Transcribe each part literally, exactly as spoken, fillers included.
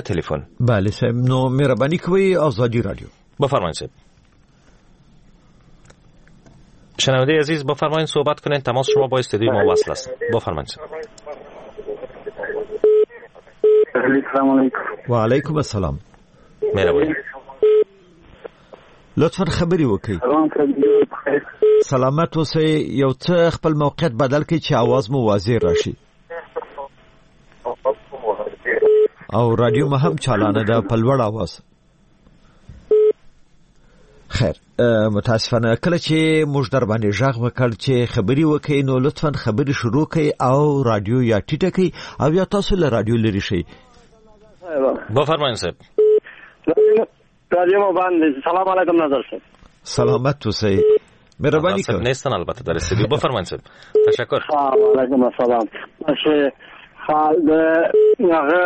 تلفن. بله صاحب، نو مهرباني کوئ ازادي رادیو. بفرمایید صاحب. شنونده عزیز بفرمایید صحبت کنین، تماس شما با استودیو ما وصل است. بفرمایید. السلام علیکم. و علیکم السلام. مهرباني. لطفاً خبرې وکړئ. سلامت اوسئ. یو څه خپل موقعیت بدل کړئ چې आवाज مو واضح راشي. او رادیو مو هم چالانه ده په لوړ आवाज. خیر، متاسفانه کله چې موږ در باندې غږ وکړ چې خبرې وکړئ نو لطفاً خبرې شروع کړئ او رادیو یا ټیټه کړئ او یا تاسو له رادیو لرې شئ. بفرمایئ صاحب. رادیو مو باندې. سلام علیکم نظر صاحب. سلامت اوسئ. مهرباني کوئ. نیستن البته در استودیو. بفرمایئ صاحب. تشکر. علیکم السلام. باشه د هغه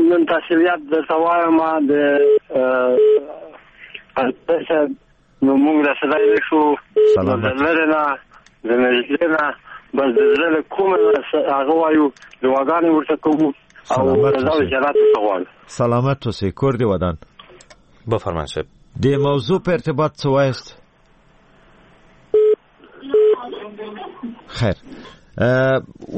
نن تسلیت درته وایم د نو موږ رسېدلی نه شو. سلامت. د لرې نه د نږدې نه بس د زړه له کومه هغه وایو، دعاګانې ورته کوو او رضا او جنت ورته غواړو. سلامت اوسئ. کور دې ودان. بفرمایئ صاحب. د موضوع په ارتباط څه وایاست؟ خیر،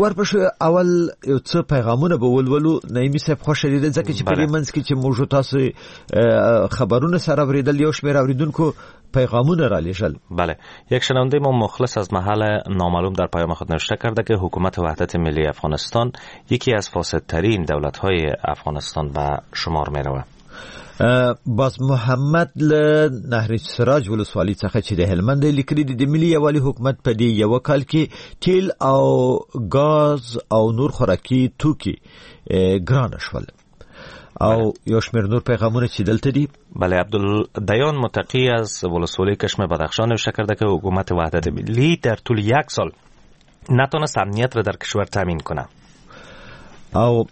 ورپسې اول یو څه پیغامونه به ولولو. نعیمي صاحب خوښه دي ځکه چې په دې منځ کې چې موږ تاسو خبرونه سره اورېدل یو شمېر اورېدونکو پیغامونه را لېږل. بله، یک شنونده ما مخلص از محل نامعلوم در پیام خود نوشته کرده که حکومت وحدت ملی افغانستان یکی از فاسدترین دولت‌های افغانستان به شمار می‌رود. باز محمد له نهر سراج ولسوالۍ څخه چې د هلمند دی لیکلي دي د ملي یووالي حکومت په دې یوه کال کې تیل او ګاز او نور خوراکي توکي ګران شول. او یو شمېر نور پیغامونه چې دلته دي. بله، عبدالدیان متقی از ولسوالی کشم بدخشان نوشته کرده که حکومت وحدت ملی در طول یک سال نتونست امنیت را در کشور تامین کنه. او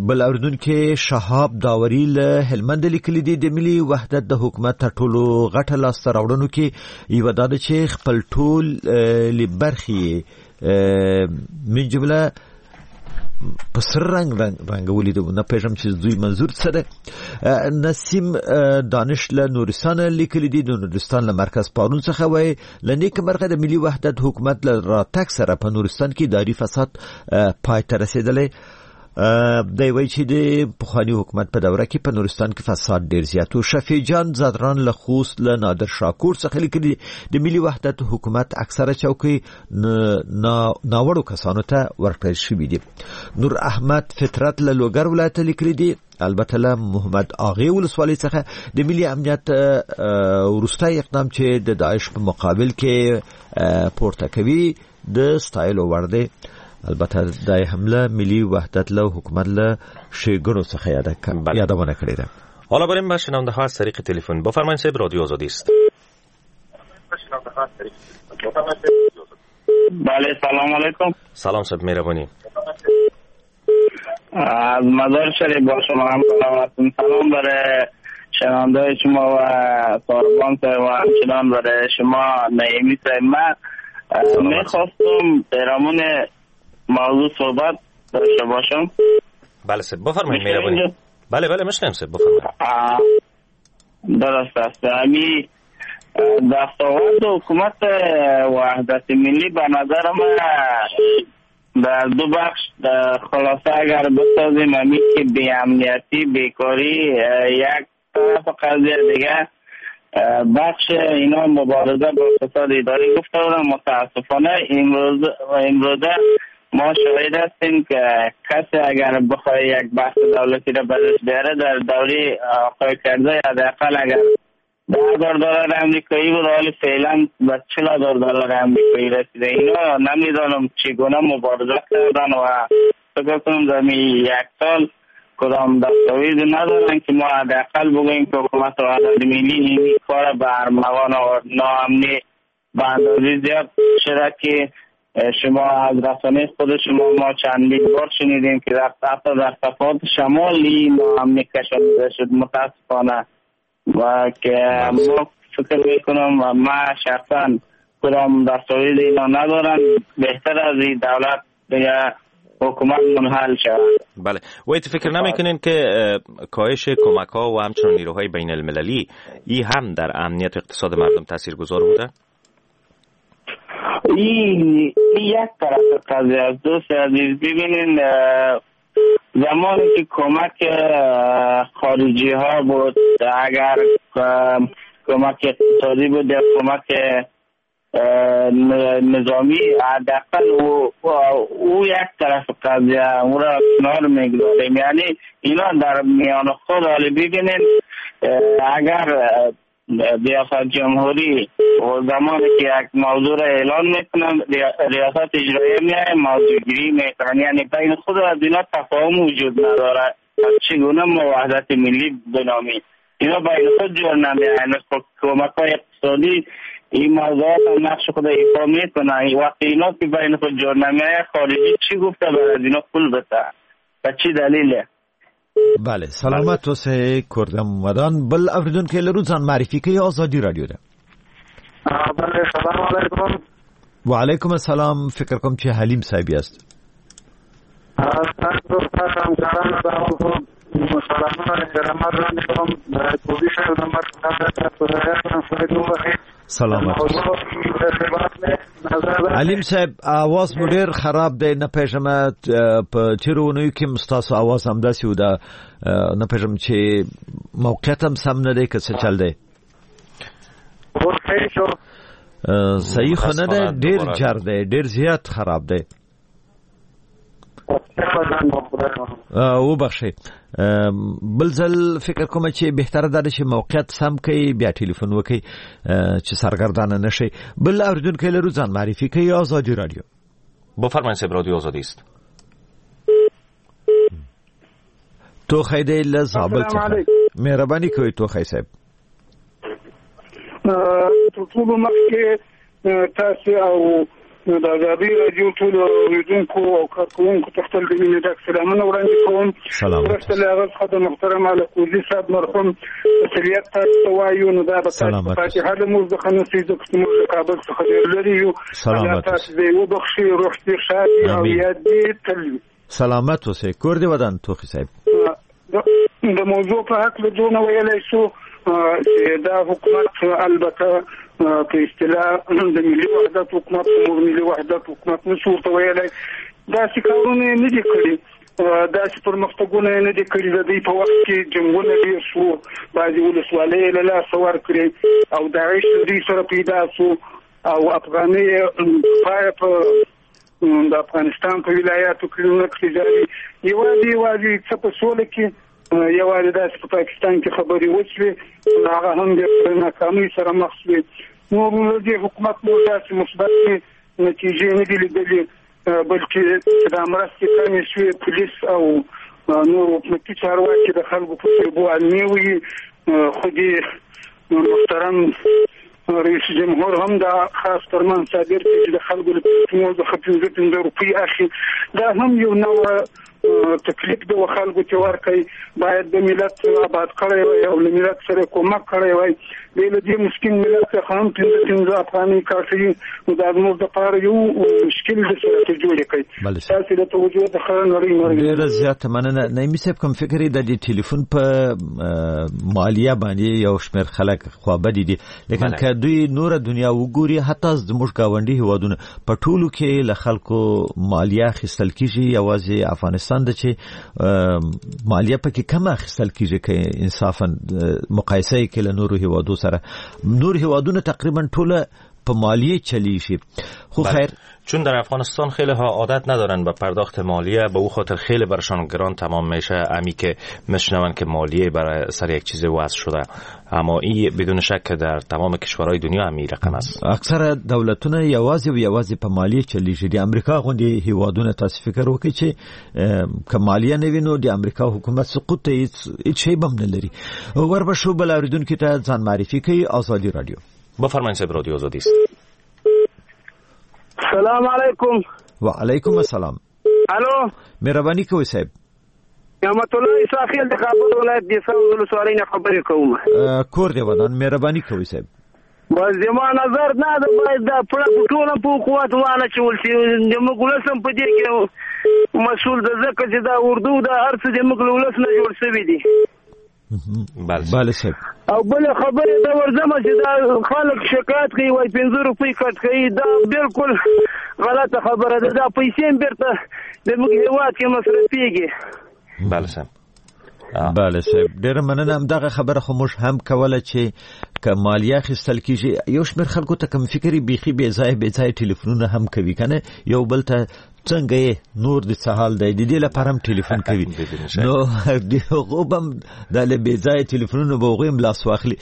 بل اوریدونکي شهاب داوري له هلمند لیکلي دي د ملي وحدت د حکومت تر ټولو غټه لاسته راوړنو کې یوه دا ده چې خپل ټول برخې من جمله په سره رنګ رنګولي دي. نه پوهېږم چې دوی منظور څه ده. نسیم دانش له نورستان لیکلي دي د نورستان له مرکز پارون څخه وایي له نیکه مرغه د ملي وحدت حکومت له راتګ سره په نورستان کې اداري فساد پای ته رسېدلی. دی وایي چې د پخواني حکومت په دوره کې په نورستان کې فساد ډیر زیات و. شفیع جان زدران له خوست له نادر شاکور څخه لیکلي د ملي وحدت حکومت اکثره چوکۍ ناوړو کسانو ته ورکړل شوي دي. نور احمد فطرت له لوګر ولایته لیکلي دي البته له محمد آغې ولسوالۍ څخه د ملي امنیت وروستی اقدام چې د داعش په مقابل کې پورته کوي د ستایلو وړ دی. البته دا حمله ملي وحدت له حکومت له ښېګڼو څخه یادونه کړې ده. حالا بریم به شنونده ها از طریق تلفن. بفرمایید صاحب، رادیو آزادی است. بله، سلام علیکم. سلام صاحب، مهربانی. از مزار شریف با شما هم سلام. سلام برای شنونده شما و ساربان صاحب و همچنان برای شما نعیمی صاحب. من میخواستم پیرامون موضوع صحبت داشته باشم. بله صاحب، بفرمایید. مهربانی. بله بله میشنویم صاحب، بفرمایید. درست است. امی دستاورد حکومت وحدت ملی به نظر من در دو بخش خلاصه اگر بسازیم، امی که بی امنیتی، بیکاری یک طرف قضیه، دیگه بخش اینا مبارزه با فساد اداری گفته بودن. متاسفانه امروز امروزه ما شاهد هستیم که کسی اگر بخواه یک بحث دولتی را برش بیاره در دوری آقای کرزی حداقل اگر ده هزار دلار امریکایی بود، حالی فعلا به چهل هزار دلار امریکایی رسیده. اینا نمیدانم چگونه مبارزه کردن و فکر کنم در یک سال کدام دستاویز ندارن که ما حداقل بگوییم که حکومت وحدت ملی این کار به ارمغان آورد. ناامنی به اندازه زیاد شده که شما از رسانه خود شما ما چندین بار شنیدیم که در حتی در صفات شمالی ناامنی کشانیده شد متاسفانه، و که ما فکر میکنم و ما شخصا کدام دستاویز اینا ندارن. بهتر از این دولت دیگه حکومت منحل شود. بله، و فکر نمیکنین که کاهش کمک ها و همچنین نیروهای بین المللی ای هم در امنیت اقتصاد مردم تاثیرگذار بوده؟ این یک طرف قضیه است دوست عزیز. ببینین زمانی که کمک خارجی ها بود، اگر کمک اقتصادی بود یا کمک نظامی، حداقل او, او یک طرف قضیه او را کنار میگذاریم. یعنی اینا در میان خود حالی ببینین اگر ریاست جمهوری و زمانی که یک موضوع را اعلان میکنن ریاست اجرایی میایه موضوع گیری میکنن، یعنی بین خود از اینا تفاهم وجود نداره. چگونه ما وحدت ملی بنامیم؟ اینا بین خود جور نمیاین. کمک های اقتصادی این موضوعات هم نقش خود ایفا میکنن. وقتی اینا که بین خود جور نمیایه، خارجی چی گفته برای اینا پول بده و چی دلیله؟ بله، سلامت اوسئ کردم ودان. بل اوریدونکی لرو ځان معرفي کوي ازادي رادیو ده. بله، سلام علیکم. وعلیکم السلام. فکر کوم چې حلیم صاحب یاست. تاسو ته همکارانو ته سلامونه احترامات وړاندې کوم. کوبي صاحب نمبر سلامت. علیم صاحب اواز مو ډیر خراب دی، نه پوهېږم په تېرو اونیو کې هم ستاسو اواز همداسې و، دا نه پوهېږم چې موقعیت هم سم نه دی که څه چل دی. صحیح خو نه دی، ډیر جر دی، ډیر زیات خراب دی. وبخښئ، بل ځل فکر کوم چې بهتره ده چې موقعیت سم کړئ بیا ټلیفون وکړئ چې سرګردانه نه شئ. بل اوریدونکی لرو ځان معرفي کوي ازادي رادیو. بفرمایئ صاحب، رادیو آزادی است. توخی دی له زابل څخه. مهرباني کوئ توخی صاحب. تر ټولو مخکې تاسو او د ازادي راډیو ټولو اورېدونکو او کارکوونکو ته خپل د مینې ډک سلامونه وړاندې کوم. وروسته له هغه څخه د محترم الکوزي صاحب مرحوم تسلیت تاسو ته وایو. نو دا به تاسو په فاتحه له موږ څخه نشي، ځکه چې موږ له کابل څخه ډېر لرې یو. الله تاسو دې وبخښي، روح دې ښاد او یاد دې تل وي. سلامت اوسئ، کور دې ودان توخي صاحب. د موضوع په هکله دونه ویلی شو چې دا حکومت البته په اصطلاح د ملي وحدت حکومت، موږ ملي وحدت حکومت نشو ورته ویلی، داسې کارونه یې نه دي کړي، داسې پرمختګونه یې نه دي کړي. د دوی په وخت کې جنګونه ډېر شو، بعضې ولسوالۍ یې له لاسه ورکړې او داعش له دوی سره پیدا شو او افغانۍ یې پایه په د افغانستان په ولایاتو کې نه کړې جاري. یوازې یوازې څه په سوله کې یوازې داسې په پاکستان کې خبرې وشوې، هغه هم د ناکامۍ سره مخ شوې. نور له دې حکومت مو داسې مثبتې نتیجې نه دي لیدلې، بلکې چې دا مرستې کمې شوې، پولیس او نور حکومتي چارواکي د خلکو په سیبو علمي وي. خو دې محترم رئیس جمهور هم دا خاص فرمان صادر کړ چې د خلکو له پیسو څخه پنځه پنځه روپۍ اخلي. دا هم یو نوع تکلیف د خلکو چې ورکوي. باید د ملت آباد کړی وای او له ملت سره کومک کړی وای. بې له دې مسکین ملت څخه هم پنځه پنځه افغانۍ کاټوي، نو دا زموږ دپاره یو مشکل دی چې راته جوړې کړي. تاسې د توجه د ښه نړۍ نړۍ. ډېره زیاته مننه نعیمي صاحب. کوم فکر یې د دې ټلیفون په مالیه باندې یو شمېر خلک خوابدي دي، لیکن که دوی نوره دنیا وګوري، حتی زموږ ګاونډي هیوادونه په ټولو کې له خلکو مالیه اخیستل کېږي، یوازې افغانستان ده چې مالیه پکې کمه اخیستل کېږي که انصافا مقایسه یې کې له نورو هیوادو سره. نور هیوادونه تقریبا ټوله په مالیه چلیږي. خو خیر، چون در افغانستان خیلی ها عادت ندارن به پرداخت مالیه، به او خاطر خیلی برشان گران تمام میشه امی که میشنون که مالیه برای سر یک چیز وضع شده. اما این بدون شک در تمام کشورهای دنیا هم رقم است. اکثره دولتونه یوازې او یوازې په مالیه چلیږي. د امریکا غوندې هیوادونه تاسو فکر وکړئ چې که مالیه نه وي نو د امریکا حکومت سقوط ته هیڅ شی به هم نه لري. وربه شو بل اورېدونکي ته ځان معرفي کوي ازادي رادیو. بفرمایئ صاحب، رادیو آزادی است. سلام علیکم. و علیکم السلام. الو، مهرباني کوئ صاحب. نعمت الله عیسی د کابل ولایت د ساوز ولسوالۍ نه خبرې کوم. کور دی ودان، مهرباني کوئ صاحب. بس زما نظر دا ده باید دا پړه په ټوله په حکومت وانه چول شي، زموږ ولس هم په دې کې مسؤل ده، ځکه چې دا اردو دا هر څه زموږ له ولس نه جوړ شوي دي. بله صاحب. او بله خبرې ته ورځمه چې دا خلک شکایت کوي وایي پنځه روپۍ کټ کوي، دا بالکل غلطه خبره ده. دا پیسې هم بېرته زموږ هېواد کې مصرفېږي. بله صاحب. بله صاحب، ډېره مننه. همدغه خبره خو موږ هم کوله چې که مالیه اخیستل کېږي، یو شمېر خلکو ته کوم فکر یې بیخي بې ځایه بې ځایه ټلیفونونه هم کوي، که نه یو بل ته څنګه یې نور د څه حال دی، د دې لپاره هم ټلیفون کوي. نو د هغو به هم دا له بې ځایه ټلیفونونو به هغوی هم لاس واخلي.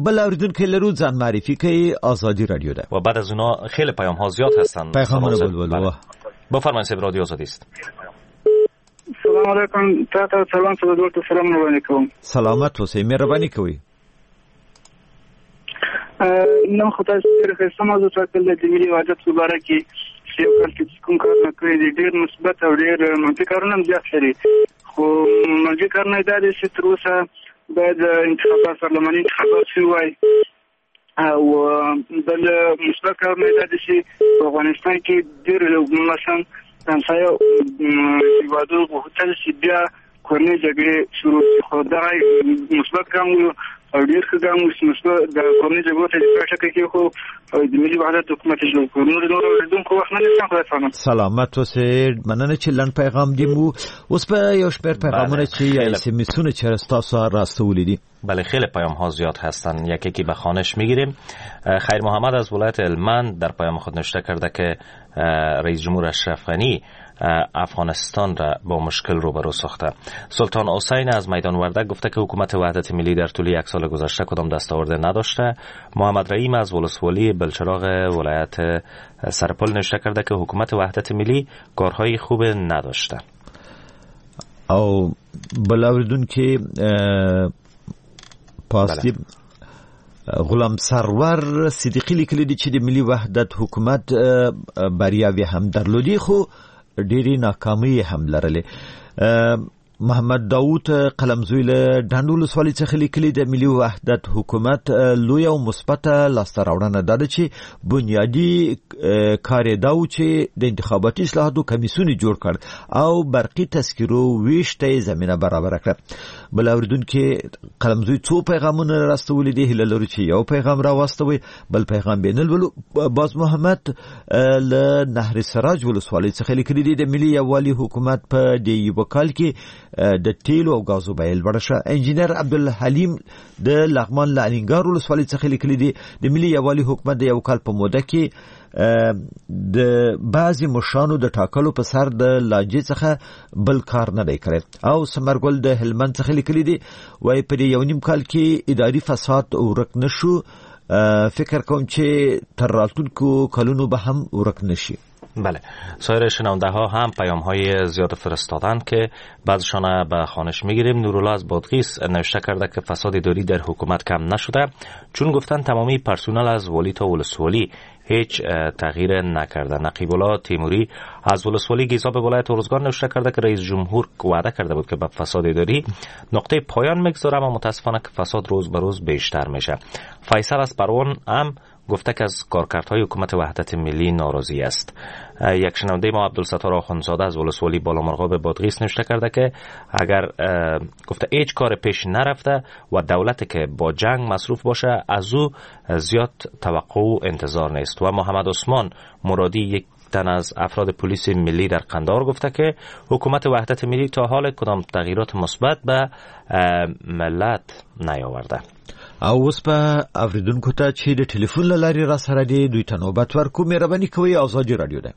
بل اورېدونکی لرو، ځان معرفي کوي، ازادي رادیو ده. و بعد از اونا خیلی پیام ها زیاد هستند. پیغامونه بلبل. بفرمایید صاحب، رادیو آزادی است. سلام علیکم، تاته سلام څه ورته سلام وړاندې کوم. سلامت اوسئ، مهرباني کوئ. نن خو تاسو ډېر ښایسته موضوع ټاکلې د ملي وحدت په باره کې چې یو کال کې کوم کارونه کړي دي، ډېر مثبت او ډېر منفي کارونه هم زیات لري. خو منفي کارونه یې دا دي چې تر اوسه باید انتخابات پارلماني انتخابات شوي وای، او بل مثبت کارونه یې دا دي چې په افغانستان کې ډېر مثلا همسایه هېوادونو غوښتل چې بیا کورنۍ جګړې شروع شي، خو دغه مثبت ګام و او ډېر ښه ګام و چې مثبت د کورنۍ جګړو ته د پای ټکی کېښود او د ملي وحدت حکومت یې جوړ کړ. نور نور اورېدونکو وخت نه نیسم، خدای پامان. سلامت اوسئ، مننه چې لنډ پیغام دې مو. اوس به یو شمېر پیغامونه چې یا اس ام اسونه چې ستاسو راستولي دي. بله، خیلی پیام ها زیاد هستند، یکی که به خوانش میگیریم. خیر محمد از ولایت هلمند در پیام خود نوشته کرده که رئیس جمهور اشرف غنی افغانستان را با مشکل روبرو ساخته. سلطان حسین از میدان وردک گفته که حکومت وحدت ملی در طول یک سال گذشته کدام دستاورد نداشته. محمد رحیم از ولسوالی بلچراغ ولایت سرپل نوشته کرده که حکومت وحدت ملی کارهای خوب نداشته. او بل اوریدونکی پاستی غلام سرور صدیقی لیکلی دی چې د ملي وحدت حکومت بریاوې هم درلودې، خو ډېرې ناکامۍ هم لرلې. محمد داود قلمزوی له ډنډ ولسوالۍ څخه لیکلي، د ملي وحدت حکومت لویه او مثبته لاسته راوړنه دا ده چې بنیادي کار یې دا و چې د انتخاباتي اصلاحاتو کمیسیون یې جوړ کړ او برقي تذکرو ویش ته یې زمینه برابره کړه. بل اورېدونکي قلمزوی څو پیغامونه راستولي دي، هیله لرو چې یو پیغام راواستوي، بل پیغام به نه لولو. باز محمد له نهر سراج ولسوالۍ څخه لیکلي دي، د ملي یووالي حکومت په دې یوه کال کې د تیلو او غازو بیه لوړه شوه. انجینر عبدالحلیم د لغمان له الینګار ولسوالۍ څخه لیکلي دي، د ملي یووالي حکومت د یو کال په موده کې د بعضې مشرانو د ټاکلو په سر د لانجې څخه بل کار نه دی کړی. او سمرګل د هلمند څخه لیکلي دي، وایي په دې یو نیم کال کې اداري فساد ورک نه شو، فکر کوم چې تر راتلونکو کلونو به هم ورک نه شي. بله، سایر شنونده ها هم پیام های زیاد فرستادند که بعضشان به خوانش میگیریم. نورالله از بادغیس نوشته کرده که فساد اداری در حکومت کم نشده، چون گفتن تمامی پرسنل از والی تا ولسوالی هیچ تغییر نکرده. نقیب الله تیموری از ولسوالی گیزاب ولایت ارزگان نوشته کرده که رئیس جمهور وعده کرده بود که به فساد اداری نقطه پایان میگذاره، اما متاسفانه که فساد روز به روز بیشتر میشه. فیصل از پروان هم گفته که از کارکردهای حکومت وحدت ملی ناراضی است. یک شنونده ما عبدالستار آخوندزاده از ولسوالی بالامرغاب بادغیس نوشته کرده که اگر گفته هیچ کار پیش نرفته و دولت که با جنگ مصروف باشه از او زیاد توقع و انتظار نیست. و محمد عثمان مرادی یک تن از افراد پلیس ملی در قندهار گفته که حکومت وحدت ملی تا حال کدام تغییرات مثبت به ملت نیاورده. او اوس به اوریدونکو ته چې د ټلیفون له لارې را سره دي دوی ته نوبت ورکو. مهرباني کوئ، ازادي رادیو ده.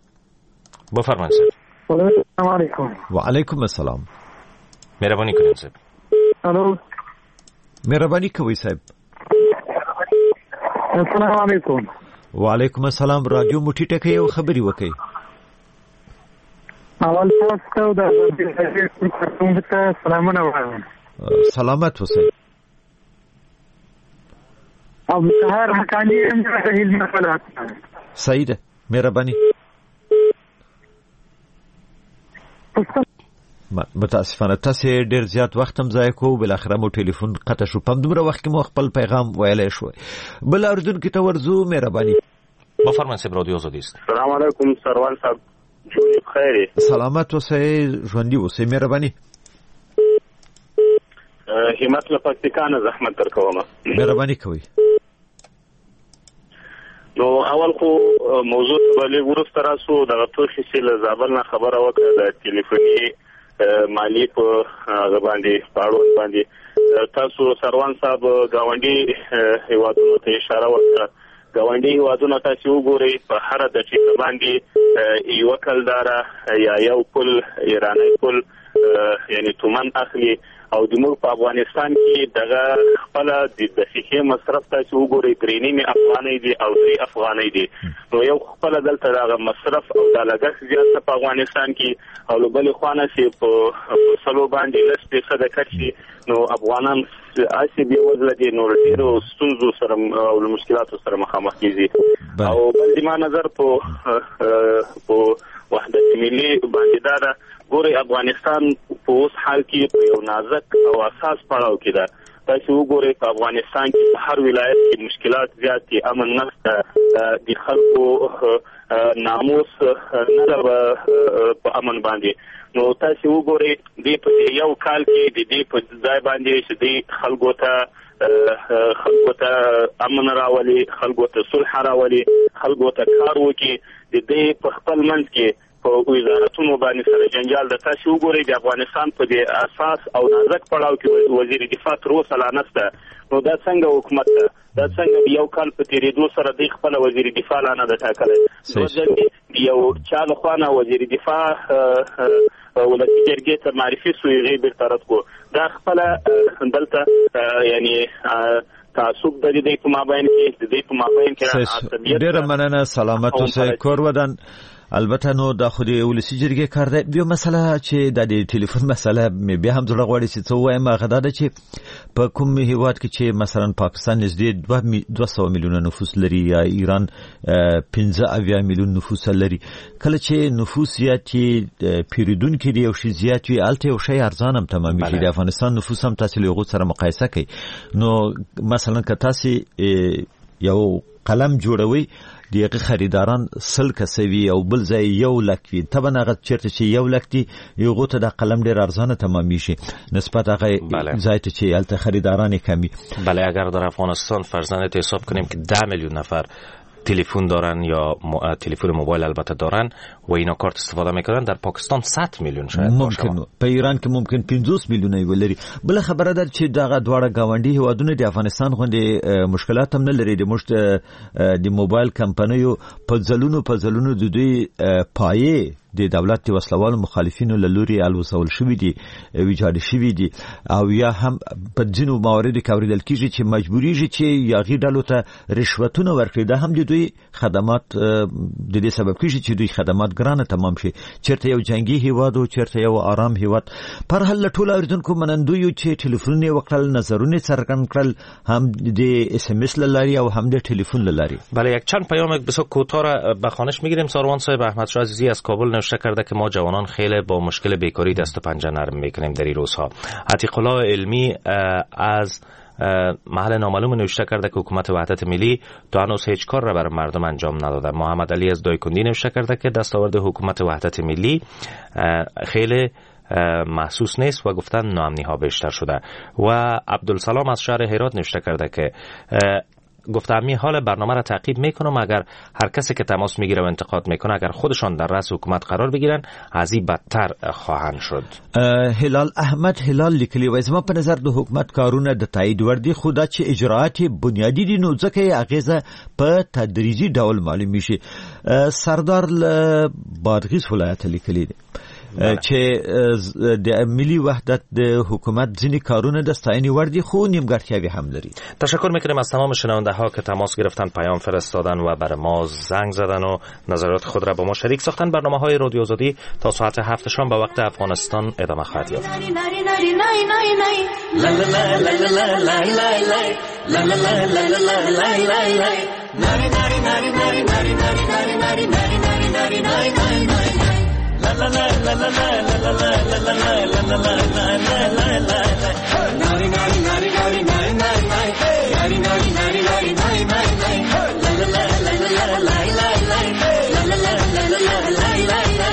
بفرمایئ صاحب. السلام علیکم. وعلیکم السلام. مهرباني کنئ صاحب. الو. مهرباني کوئ صاحب. السلام علیکم. وعلیکم السلام. رادیو مو ټیټه کړئ او خبرې وکړئ. اول تاسو ته د ازادي رادیو کارکوونکو ته سلامونه وایم. سلامت اوسئ. او سهار حقاني یم د هلمند ولایت. صحیح ده، مهرباني. متاسفانه تاسو ډیر زیات وخت هم ضایع کو، بالاخره مو ټلیفون قطع شو. په همدومره وخت کې مو خپل پیغام ویلی شو. بل اوریدونکي ته ورځو، مهرباني. بفرمایئ صاحب، رادیو آزادی است. سلام علیکم سروان صاحب، جوړ بخیر. سلامت اوسئ، ژوندي اوسئ، مهرباني. همت له پکتیکا نه زحمت درکوم. مهرباني کوئ. نو اول خو موضوع ته به لږ وروسته راسو. دغه توښې چې له زابل نه خبره وکړه د ټلیفوني مالیې په هغه باندې په اړوند باندې تاسو سروان صاحب ګاونډي هیوادونو ته اشاره وکړه. ګاونډي هیوادونه تاسو وګورئ په هره دقیقه باندې یوه کلداره یا یو پل ایرانی پل یعنی تومن اخلي، او د موږ په افغانستان کې دغه خپله د دقیقې مصرف تاسو وګورئ درې نیمې افغانۍ دي او درې افغانۍ دي. نو یو خپله دلته دغه مصرف او دا لګښت زیات ده په افغانستان کې، او له بلې خوا نه چې په سلو باندې لس فیصده کټ شي نو افغانان هسې بېوزله دي، نو له ډېرو ستونزو سره او له مشکلاتو سره مخامخ کېږي. او بل زما نظر په په وحدت ملي باندې دا ده، ګورئ افغانستان په اوس حال کې په یو نازک او اساس پړاو کې ده. تاسو وګورئ په افغانستان کې په هر ولایت کې مشکلات زیات دي، امن نشته، د خلکو ناموس نه ده په امن باندې. نو تاسو وګورئ دې په یو کال کې د دې په ځای باندې چې دې خلکو ته خلکو ته امن راولي، خلکو ته صلح راولي، خلکو ته کار وکړي، د دې په خپل منځ کې په وزارتونو باندې سره جنجال ده. تاسو وګورئ د افغانستان په دې اساس او نازک پړاو کې وزیر دفاع تر اوسه لا نشته. نو دا څنګه حکومت ده؟ دا څنګه یو کال په تېرېدو سره دی خپله وزیر دفاع لا نه ده ټاکلی؟ یو چا لخوا نه وزیر دفاع ولسي جرګې ته معرفي سو، هغې بېرته رد کړو. دا خپله دلته یعنی تعصب د دې په مابین کې د دې په مابین کې عصبیت. ډېره مننه، سلامت اوسئ، کور ودان. البته نو دا خو د ولسي جرګې کار دی. بیا مسله چې د دې ټلیفون مسله مې بیا هم زړه غواړي چې څه ووایم، هغه دا ده چې په کوم هیواد کې چې مثلا پاکستان نږدې دوه دوه سوه میلیونه نفوس لري یا ایران پنځه اویا میلیون نفوس لري، کله چې نفوس زیات وي، پیرودونکي د یو شي زیات وي، هلته یو شی ارزان هم تمامېږي. د افغانستان نفوس هم تاسې له هغو سره مقایسه کوئ، نو مثلا که تاسې یو قلم جوړوئ د هغې خریداران سل کسه وي او بل ځای یو لک وي، طبعا هغه چېرته چې یو لک دي هغو ته دا قلم ډېر ارزانه تمامېږي نسبت هغه ځای ته چې هلته خریداران یې کم وي. بله، اگر در افغانستان فرضاً حساب کنیم که ده میلیون نفر تلفن دارن یا تلفن موبایل البته دارن و اینا کارت استفاده میکنن، در پاکستان صد میلیون شاید ممکن، په ایران کې ممکن پنځوس میلیونه یې ولري. بله خبره ده چې دغه دواړه ګاونډي هیوادونه د افغانستان غوندې مشکلات هم نه لري. د موږ د موبایل کمپنیو په ځلونو په ځلونو د دوی پایې د دولت د وسلوالو مخالفینو له لوري الوزول شوي دي، ویجاړ شوي دي، او یا هم په ځینو مواردو کې اورېدل کېږي چې مجبورېږي چې یاغي ډلو ته رشوتونه ورکړي. دا هم د دوی خدمات د دې سبب کېږي چې دوی خدمات ګرانه تمام شي. چېرته یو جنګي هیواد او چېرته یو آرام هیواد. پر هر له ټولو اورېدونکو منندوی یو چې ټلیفونونه یې وکړل، نظرونه یې څرګند کړل، هم د اس ام اس له لارې او هم د ټلیفون له لارې. بله، یک چند پیام بسیار کوتاه را به خوانش میگیریم. ساروان صاحب احمد شاه عزیزی از کابل نوشته کرده که ما جوانان خیلی با مشکل بیکاری دست و پنجه نرم میکنیم در این روزها. عتیق الله علمی از محل نامعلوم نوشته کرده که حکومت وحدت ملی تا هنوز هیچ کار را برای مردم انجام نداده. محمد علی از دایکندی نوشته کرده که دستاورد حکومت وحدت ملی خیلی محسوس نیست و گفتن ناامنی ها بیشتر شده. و عبدالسلام از شهر هرات نوشته کرده که گفته می حال برنامه را تعقیب میکنم، اگر هر کسی که تماس میگیره و انتقاد میکنه اگر خودشان در رأس حکومت قرار بگیرن از این بدتر خواهند شد. هلال احمد هلال لیکلی وای زما په نظر د حکومت کارونه د تایید وړ دي، خو دا چې اجراآت یې بنیادي دي نو ځکه یې اغېزه په تدریجي ډول معلومیږي. سردار له بادغیس ولایت لیکلی دی چې د ملي وحدت د حکومت ځینې کارونه د ستاینې وړ دي خو نیمګړتیاوې هم لري. تشکر میکنیم از تمام شنونده ها که تماس گرفتن، پیام فرستادن و بر ما زنگ زدن و نظرات خود را با ما شریک ساختن. برنامه های رادیو آزادی تا ساعت هفت شام به وقت افغانستان ادامه خواهد یافت. لا لا لا لا لا لا لا لا لا لا لا لا لا ناري ناري ناري ناري ناري ناري ناري ناري ناري ناري ناري ناري لا لا لا لا لا لا لا لا لا لا لا لا لا لا.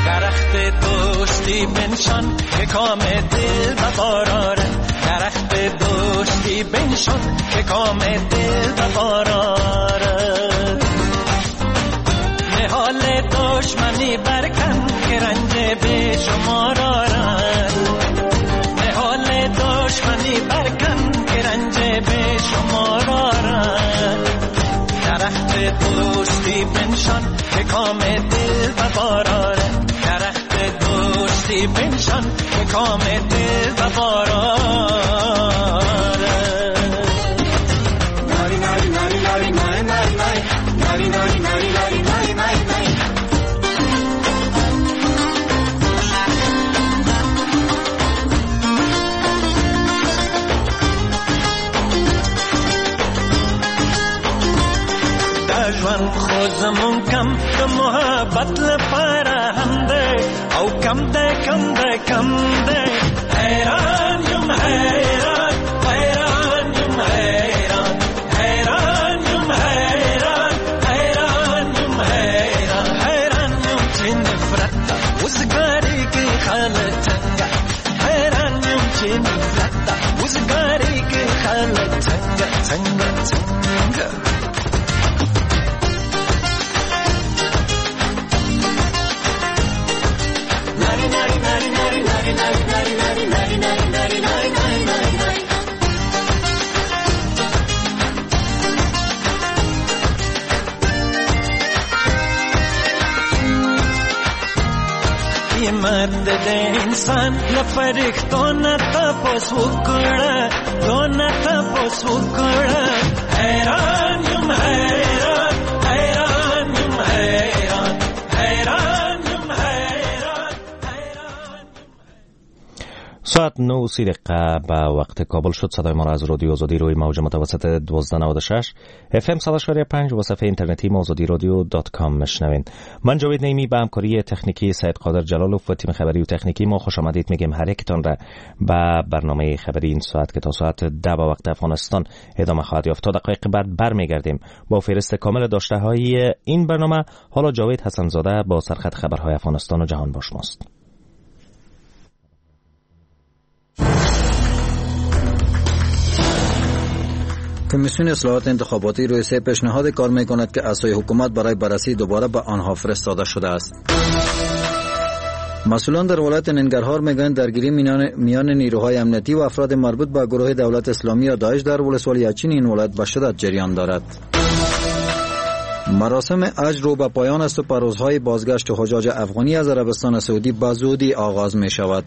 درخت دوستی بنشان که کام دل بباراره، درخت دوستی بنشان که کام دل بباراره. نهال دشمنی برکن که رنج به شما رارد، نهال دشمنی برکن که رنج به شما رارد. درخت دوستی بنشان که کام دل بباراره، درخت دوستی بنشان که کام دل بباراره. ناری ناری ناری ناری ناری ناری ناری ناری ناری ناری ناری ناری ناری. ژوند خو زمون کم د محبت لپاره هم دی او کم دی کم دی کم دی. حیران یم حیران حیران یم حیران حیران یم حیران حیران یم حیران حیران یم چې نفرت ده وزګاري کې خلک څنګه، حیران یم چې نفرت ده وزګاري کې خلک څنګه څنګه څنګه. قیمت د انسان له فرښتو نه تپوس وکړه، تو نه تپوس وکړه. حیران یم حیران حیران یم حیران حیران یم حیران حیران. ساعت نه و سی دقیقه به وقت کابل شد. صدای ما را از رادیو آزادی روی موج متوسط دوازده نود و شش اف ام صد و پنج و صفحه اینترنتی آزادی رادیو dot com میشنوین. من جاوید نعیمی به همکاری تکنیکی سید قادر جلالوف و تیم خبری و تکنیکی ما خوش آمدید میگیم هر یکتان را به برنامه خبری این ساعت که تا ساعت ده به وقت افغانستان ادامه خواهد یافت. تا دقایق بعد برمیگردیم با فهرست کامل داشته های این برنامه. حالا جاوید حسن زاده با سرخط خبرهای افغانستان و جهان با شماست. کمیسیون اصلاحات انتخاباتی روی سه پیشنهاد کار میکند که از سوی حکومت برای بررسی دوباره به آنها فرستاده شده است. مسئولان در ولایت ننگرهار میگویند درگیری میان نیروهای امنیتی و افراد مربوط به گروه دولت اسلامی یا داعش در ولسوالی اچین این ولایت به شدت جریان دارد. مراسم حج رو به پایان است و پروازهای بازگشت حجاج افغانی از عربستان سعودی به زودی آغاز می شود.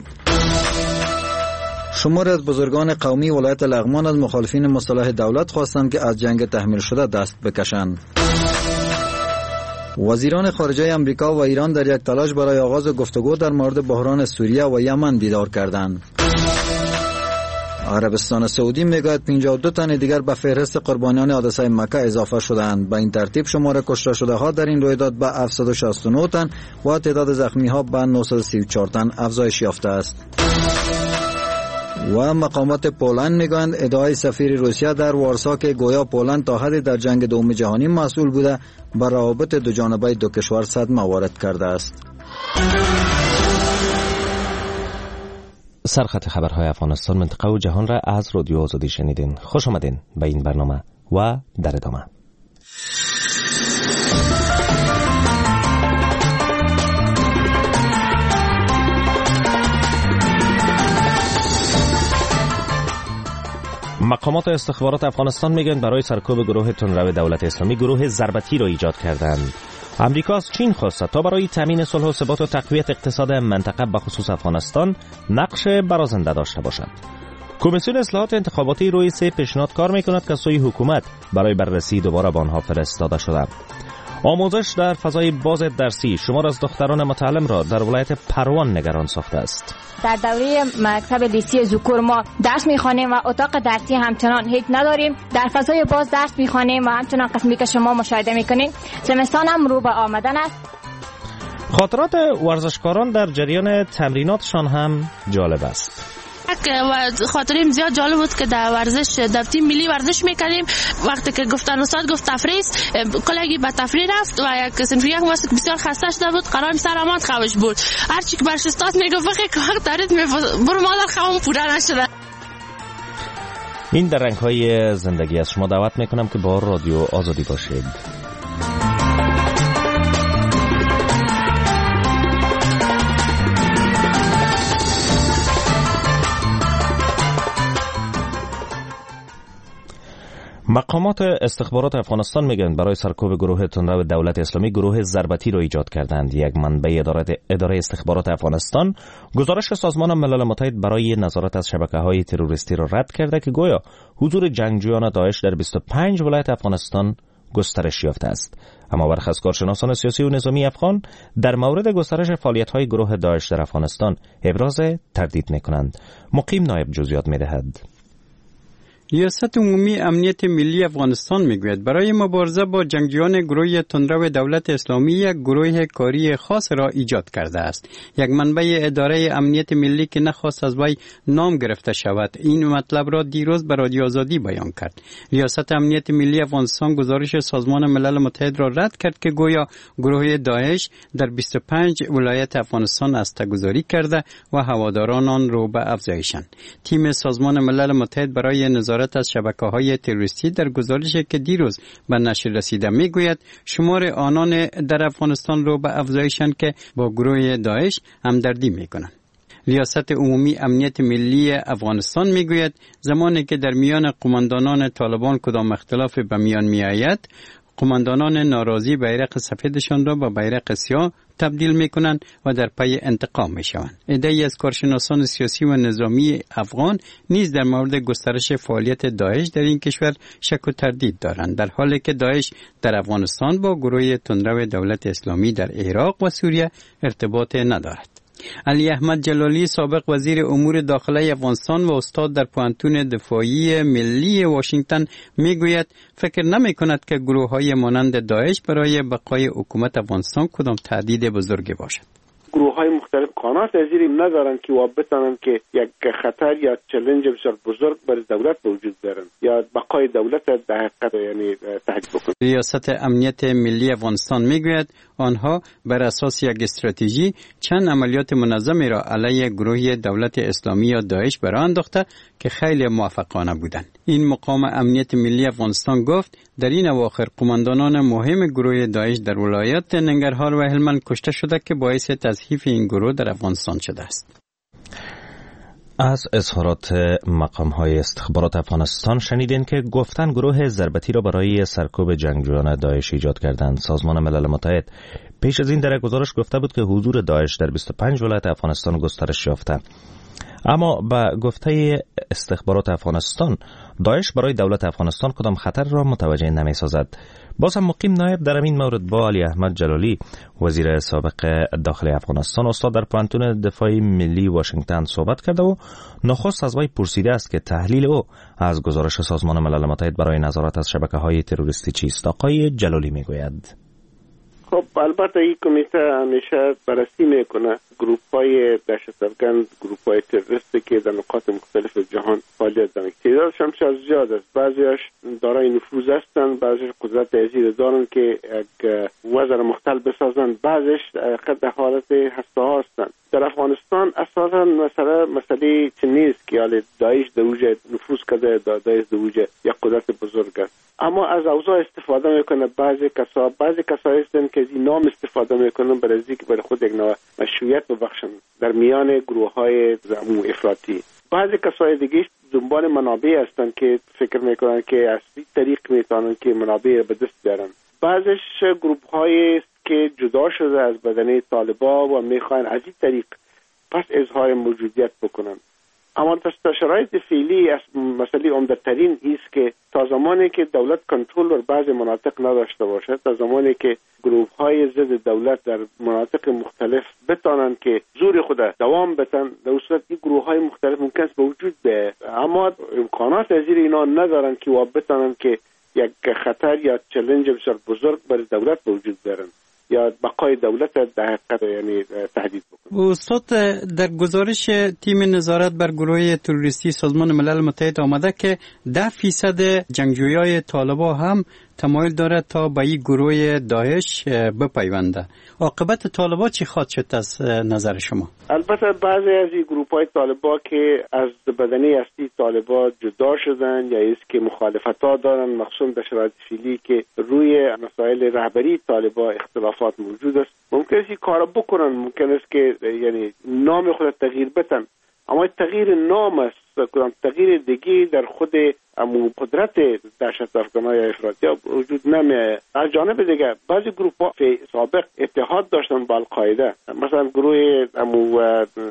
شماری از بزرگان قومی ولایت لغمان از مخالفین مصالح دولت خواستند که از جنگ تحمیل شده دست بکشند. وزیران خارجه آمریکا و ایران در یک تلاش برای آغاز گفتگو در مورد بحران سوریه و یمن دیدار کردند. عربستان سعودی میگوید پنجاه و دو تن دیگر به فهرست قربانیان حادثه مکه اضافه شدند. به این ترتیب شمار کشته شده ها در این رویداد به هفتصد و شصت و نه تن و تعداد زخمی ها به نهصد و سی و چهار تن افزایش یافته است. و مقامات پولند میگویند ادعای سفیر روسیه در وارسا که گویا پولند تا حدی در جنگ دوم جهانی مسئول بوده بر روابط دو جانبه دو کشور صدمه وارد کرده است. سرخط خبرهای افغانستان، منطقه و جهان را از رادیو آزادی شنیدین. خوش آمدین به این برنامه و در ادامه مقامات استخبارات افغانستان میگن برای سرکوب گروه تندرو دولت اسلامی گروه ضربتی را ایجاد کردند. امریکا از چین خواسته تا برای تامین صلح و ثبات و تقویت اقتصاد منطقه به خصوص افغانستان نقش برازنده داشته باشد. کمیسیون اصلاحات انتخاباتی روی سه پیشنهاد کار میکند که سوی حکومت برای بررسی دوباره به آنها فرستاده شده. آموزش در فضای باز درسی شمار از دختران متعلم را در ولایت پروان نگران ساخته است. در دوره مکتب لیسی ذکور ما درس میخوانیم و اتاق درسی همچنان هیچ نداریم. در فضای باز درس میخوانیم و همچنان قسمی که شما مشاهده میکنید زمستان هم رو به آمدن است. خاطرات ورزشکاران در جریان تمریناتشان هم جالب است. خاطریم زیاد جالب بود که در ورزش در تیم ملی ورزش میکردیم. وقتی که گفتن استاد گفت تفریح، کلگی به تفریح رفت و یک صنف یک ماست که بسیار خسته شده بود، قرار سر آمد خوش بود. هرچی که برش استاد میگفت بخی که وقت دارید برو مادر خوام پوره نشده. این در رنگ‌های زندگی از شما دعوت میکنم که با رادیو آزادی باشید. مقامات استخبارات افغانستان میگن برای سرکوب گروه تندرو دولت اسلامی گروه ضربتی را ایجاد کردند. یک منبع اداره استخبارات افغانستان گزارش سازمان ملل متحد برای نظارت از شبکه‌های تروریستی را رد کرده که گویا حضور جنگجویان داعش در بیست و پنج ولایت افغانستان گسترش یافته است. اما برخی از کارشناسان سیاسی و نظامی افغان در مورد گسترش فعالیت‌های گروه داعش در افغانستان ابراز تردید می‌کنند. مقیم نایب جزئیات می‌دهد. ریاست عمومی امنیت ملی افغانستان میگوید برای مبارزه با جنگجویان گروه تندرو دولت اسلامی یک گروه کاری خاص را ایجاد کرده است. یک منبع اداره امنیت ملی که نخواست از وی نام گرفته شود این مطلب را دیروز به رادیو آزادی بیان کرد. ریاست امنیت ملی افغانستان گزارش سازمان ملل متحد را رد کرد که گویا گروه داعش در بیست و پنج ولایت افغانستان هسته‌گذاری کرده و هواداران آن رو به افزایشند. تیم سازمان ملل متحد برای نظارت از شبکه‌های تروریستی در گزارشی که دیروز به نشر رسیده میگوید شمار آنان در افغانستان رو به افزایشند که با گروه داعش همدردی میکنند. ریاست عمومی امنیت ملی افغانستان میگوید زمانی که در میان قماندانان طالبان کدام اختلاف به میان میآید، قماندانان ناراضی بیرق سفیدشان را به بیرق سیاه تبدیل میکنند و در پی انتقام میشوند. عده‌ای از کارشناسان سیاسی و نظامی افغان نیز در مورد گسترش فعالیت داعش در این کشور شک و تردید دارند، در حالی که داعش در افغانستان با گروه تندرو دولت اسلامی در عراق و سوریه ارتباط ندارد. علی احمد جلالی سابق وزیر امور داخله افغانستان و استاد در پوهنتون دفاعی ملی واشنگتن میگوید فکر نمی کند که گروه های مانند داعش برای بقای حکومت افغانستان کدام تهدید بزرگی باشد. گروه های مختلف قانات از این ندارند که بتانند که یک خطر یا چالش بسیار بزرگ بر دولت به وجود بیارند یا بقای دولت در حقیقت یعنی تهدید بکنند. ریاست امنیت ملی افغانستان میگوید آنها بر اساس یک استراتژی چند عملیات منظمی را علیه گروه دولت اسلامی یا داعش براه انداخته که خیلی موفقانه بودند. این مقام امنیت ملی افغانستان گفت در این اواخر قماندانان مهم گروه داعش در ولایات ننگرهار و هلمند کشته شده که باعث تضعیف این گروه در افغانستان شده است. از اظهارات مقام های استخبارات افغانستان شنیدین که گفتن گروه ضربتی را برای سرکوب جنگجویان داعش ایجاد کردند. سازمان ملل متحد پیش از این در گزارش گفته بود که حضور داعش در بیست و پنج ولایت افغانستان گسترش یافته. اما به گفته استخبارات افغانستان داعش برای دولت افغانستان کدام خطر را متوجه نمی سازد. باز هم مقیم نایب در این مورد با علی احمد جلالی وزیر سابق داخل افغانستان استاد در پوهنتون دفاع ملی واشنگتن صحبت کرده و نخست از وی پرسیده است که تحلیل او از گزارش سازمان ملل متحد برای نظارت از شبکه‌های تروریستی چیست. آقای جلالی میگوید خب البته این کمیته همیشه بررسی میکنه گروپ های دهشت افگن، گروپ های تروریستی که در نقاط مختلف جهان فعالیت دارند. تعدادش هم زیاد است، بعضیش دارای نفوذ هستند، بعضیش قدرت ازی دارند که یک وضع مختل بسازند، بعضیش در حالت هسته ها هستند. در افغانستان اساسا مسئله مسئله چه نیست که حال داعش در اوج نفوذ کرده، داعش در اوج یک قدرت بزرگ است، اما از اوضاع استفاده میکنه. بعضی کسا بعضی کسایی هستند که از این نام استفاده میکنن برای اینکه برای خود یک نوع مشروعیت ببخشن در میان گروه های زمو افراطی. بعضی کسای دیگه دنبال منابع هستند که فکر میکنن که از این طریق میتونن که منابع به دست بیارن. بعضیش گروه های که جدا شده از بدنه طالبا و میخوان از این طریق پس اظهار موجودیت بکنن. اما در شرایط فعلی از مسئله عمده‌ترین است که تا زمانی که دولت کنترل بر بعض مناطق نداشته باشد، تا زمانی که گروه های ضد دولت در مناطق مختلف بتانند که زور خود دوام بدن، در صورت این گروه های مختلف ممکن است به وجود بیاید، اما امکانات از اینا ندارند که وا بتانند که یک خطر یا چالش بسیار بزرگ بر دولت به وجود بیارند یا بقای دولت در حقیقت یعنی تهدید بکنه. استاد، در گزارش تیم نظارت بر گروه تروریستی سازمان ملل متحد آمده که ده فیصد جنگجویای طالبا هم تمایل دارد تا به این گروه داعش بپیونده. عاقبت طالبا چی خواهد شد از نظر شما؟ البته بعضی از این گروه های طالبا که از بدنه اصلی طالبا جدا شدن یا ایست که مخالفت ها دارن، مخصوصا در شرایط فعلی که روی مسائل رهبری طالبا اختلافات موجود است، ممکن است این کارا بکنن، ممکن است که یعنی نام خود تغییر بدن، اما تغییر نام است، کدام تغییر دیگه در خود امو قدرت دهشت افغانای افراطی وجود نمیه. از جانب دیگه بعضی گروه ها سابق اتحاد داشتن با القاعده، مثلا گروه امو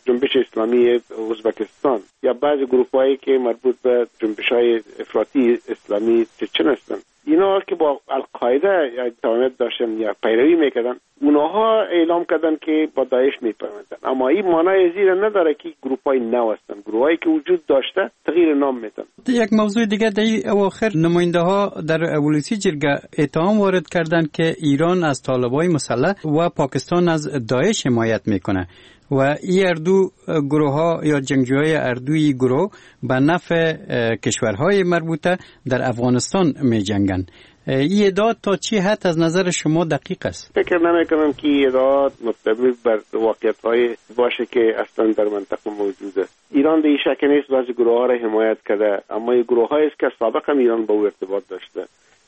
جنبش اسلامی ازبکستان یا بعضی گروه هایی که مربوط به جنبش های افراطی اسلامی چچن هستند، اینا که با القاعده تعامل داشتن یا پیروی میکردن، اونها اعلام کردن که با داعش میپیوندن، اما این معنای زیر نداره که گروه های نو هستند، گروه هایی که وجود داشته تغییر نام میدن. یک موضوع دیگه در اواخر نماینده ها در ولسی جرگه اتهام وارد کردند که ایران از طالبای مسلح و پاکستان از داعش حمایت میکنه و این اردو گروه ها یا جنگجوهای اردوی گروه به نفع کشورهای مربوطه در افغانستان می جنگن. این ادعا تا چی حد از نظر شما دقیق است؟ فکر نمی کنم که این ادعا مبتنی بر واقعیت های باشه که اصلا در منطقه موجوده. ایران به این شک نیست بعضی گروه ها را حمایت کرده، اما این گروه های است که سابقا ایران با او ارتباط داشته.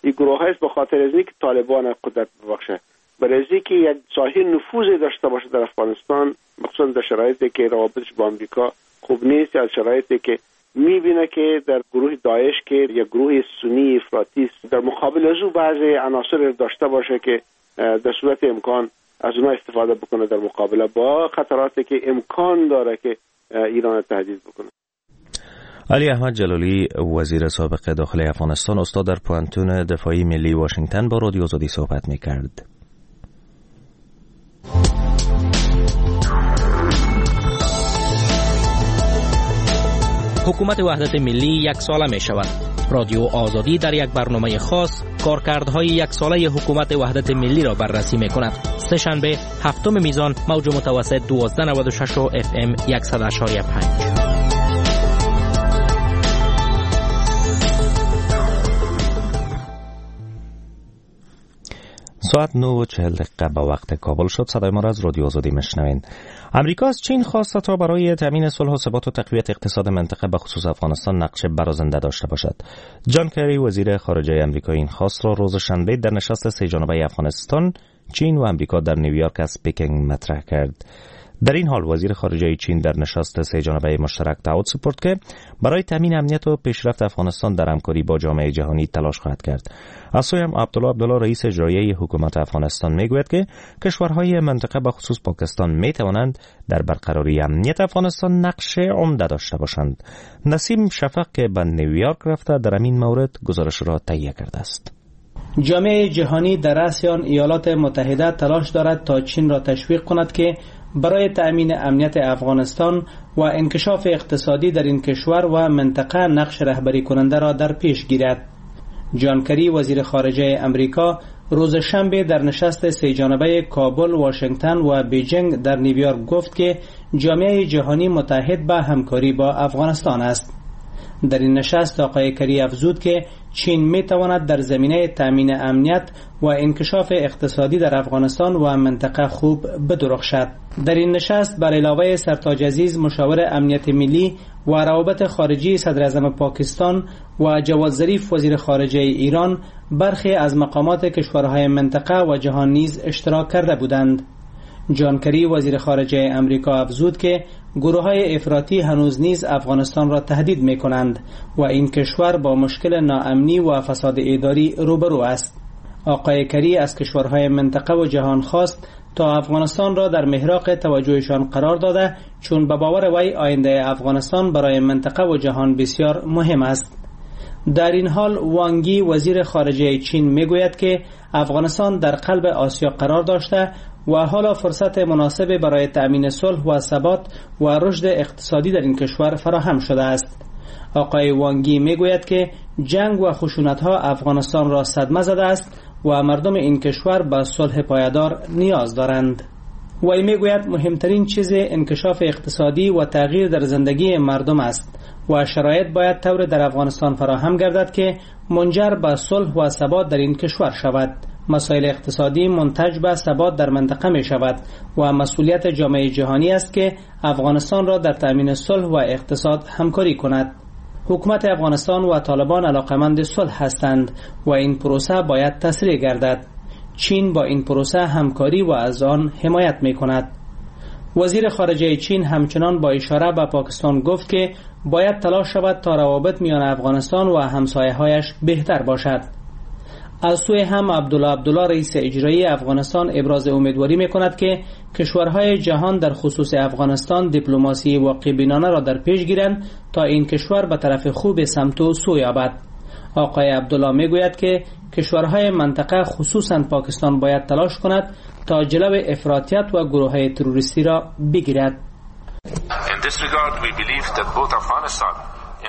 این گروه های است به خاطر از اینکه طالبان قدرت ببخشه، برای اینکه یک ساحه نفوذ داشته باشه در افغانستان، مخصوصا در شرایطی که روابطش با آمریکا خوب نیست یا شرایطی که میبینه که در گروه داعش که یک گروه سنی افراطی است، در مقابل از او بعضی عناصر داشته باشه که در صورت امکان از اونها استفاده بکنه در مقابله با خطراتی که امکان داره که ایران تهدید بکنه. علی احمد جلالی، وزیر سابق داخله افغانستان، استاد در پوهنتون دفاعی ملی واشنگتن، با رادیو آزادی صحبت میکرد. حکومت وحدت ملی یک ساله می شود. رادیو آزادی در یک برنامه خاص کارکردهای یک ساله حکومت وحدت ملی را بررسی می کند. سه شنبه هفتم میزان، موج متوسط دوازده نود و شش و اف ام صد و پنج. ساعت نه و چهل دقیقه به وقت کابل شد. صدای ما را از رادیو آزادی میشنوین. امریکا از چین خواسته تا برای تامین صلح و ثبات و تقویت اقتصاد منطقه به خصوص افغانستان نقش برازنده داشته باشد. جان کری، وزیر خارجه امریکا، این خواست را روز شنبه در نشست سه جانبه افغانستان، چین و امریکا در نیویورک از پکن مطرح کرد. در این حال وزیر خارجه چین در نشست سه جانبه مشترک تعهد سپرد که برای تامین امنیت و پیشرفت افغانستان در همکاری با جامعه جهانی تلاش خواهد کرد. از سوی هم عبدالله عبدالله، رئیس اجرایی حکومت افغانستان، میگوید که کشورهای منطقه به خصوص پاکستان می توانند در برقراری امنیت افغانستان نقش عمده داشته باشند. نسیم شفق که به نیویورک رفته در این مورد گزارش را تهیه کرده است. جامعه جهانی در رأس آن ایالات متحده تلاش دارد تا چین را تشویق کند که برای تأمین امنیت افغانستان و انکشاف اقتصادی در این کشور و منطقه نقش رهبری کننده را در پیش گیرد. جان کری، وزیر خارجه امریکا، روز شنبه در نشست سه جانبه کابل، واشنگتن و بیجینگ در نیویورک گفت که جامعه جهانی متحد به همکاری با افغانستان است. در این نشست آقای کری افزود که چین می تواند در زمینه تأمین امنیت و انکشاف اقتصادی در افغانستان و منطقه خوب بدرخشد. در این نشست بر علاوه سرتاج عزیز، مشاور امنیت ملی و روابط خارجی صدر اعظم پاکستان و جواد ظریف، وزیر خارجه ایران، برخی از مقامات کشورهای منطقه و جهان نیز اشتراک کرده بودند. جان کری، وزیر خارجه امریکا، افزود که گروه‌های افراطی هنوز نیز افغانستان را تهدید می‌کنند و این کشور با مشکل ناامنی و فساد اداری روبرو است. آقای کری از کشورهای منطقه و جهان خواست تا افغانستان را در محراق توجهشان قرار داده، چون به باور وی آینده افغانستان برای منطقه و جهان بسیار مهم است. در این حال وانگی وزیر خارجه چین میگوید که افغانستان در قلب آسیا قرار داشته و حالا فرصت مناسب برای تأمین صلح و ثبات و رشد اقتصادی در این کشور فراهم شده است. آقای وانگی میگوید که جنگ و خشونت‌ها افغانستان را صدمه زده است و مردم این کشور به صلح پایدار نیاز دارند. وی میگوید مهمترین چیز انکشاف اقتصادی و تغییر در زندگی مردم است و شرایط باید طور در افغانستان فراهم گردد که منجر به صلح و ثبات در این کشور شود. مسائل اقتصادی منتج به ثبات در منطقه می شود و مسئولیت جامعه جهانی است که افغانستان را در تأمین صلح و اقتصاد همکاری کند. حکومت افغانستان و طالبان علاقمند صلح هستند و این پروسه باید تسریع گردد. چین با این پروسه همکاری و از آن حمایت می کند. وزیر خارجه چین همچنان با اشاره به پاکستان گفت که باید تلاش شود تا روابط میان افغانستان و همسایه‌هایش بهتر باشد. از سوی هم عبدالله عبدالله رئیس اجرایی افغانستان ابراز امیدواری می کند که کشورهای جهان در خصوص افغانستان دیپلماسی واقع بینانه را در پیش گیرند تا این کشور به طرف خوب سمت و سو یابد. آقای عبدالله می گوید که کشورهای منطقه خصوصا پاکستان باید تلاش کند تا جلو افراطیت و گروه‌های تروریستی را بگیرد.